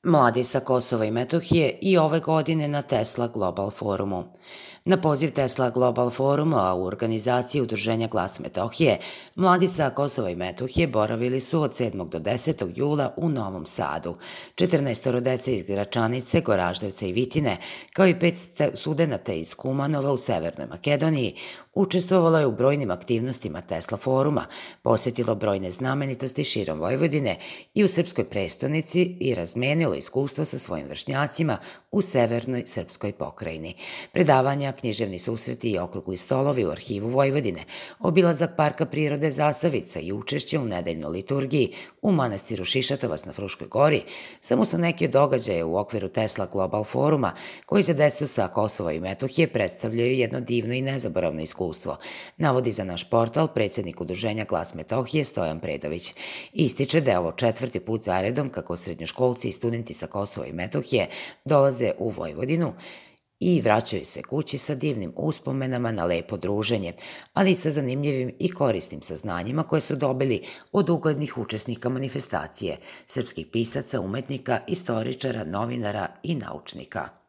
Mladi sa Kosova i Metohije i ove godine na Tesla Global forumu. Na poziv Tesla Global foruma u organizaciji Udruženja Glas Metohije, mladi sa Kosova i Metohije boravili su od 7. do 10. jula u Novom Sadu. 14 dece iz Gračanice, Goraždevca i Vitine, kao i 5 studenata iz Kumanova u Severnoj Makedoniji, učestvovalo je u brojnim aktivnostima Tesla foruma, posetilo brojne znamenitosti širom Vojvodine i u srpskoj prestonici i razmenilo iskustva sa svojim vršnjacima u severnoj srpskoj pokrajini. Predavanja, književni susreti i okrugli stolovi u arhivu Vojvodine, obilazak Parka prirode Zasavica i učešće u nedeljnoj liturgiji u manastiru Šišatovac na Fruškoj gori samo su neki od događaja u okviru Tesla Global foruma koji za decu sa Kosova i Metohije predstavljaju jedno divno i nezaboravno iskustvo, navodi za naš portal predsednik Udruženja Glas Metohije Stojan Predović. Ističe da je ovo 4. put zaredom kako srednjoškolci i studenti sa Kosova i Metohije dolaze u Vojvodinu i vraćaju se kući sa divnim uspomenama na lepo druženje, ali i sa zanimljivim i korisnim saznanjima koje su dobili od uglednih učesnika manifestacije, srpskih pisaca, umetnika, istoričara, novinara i naučnika.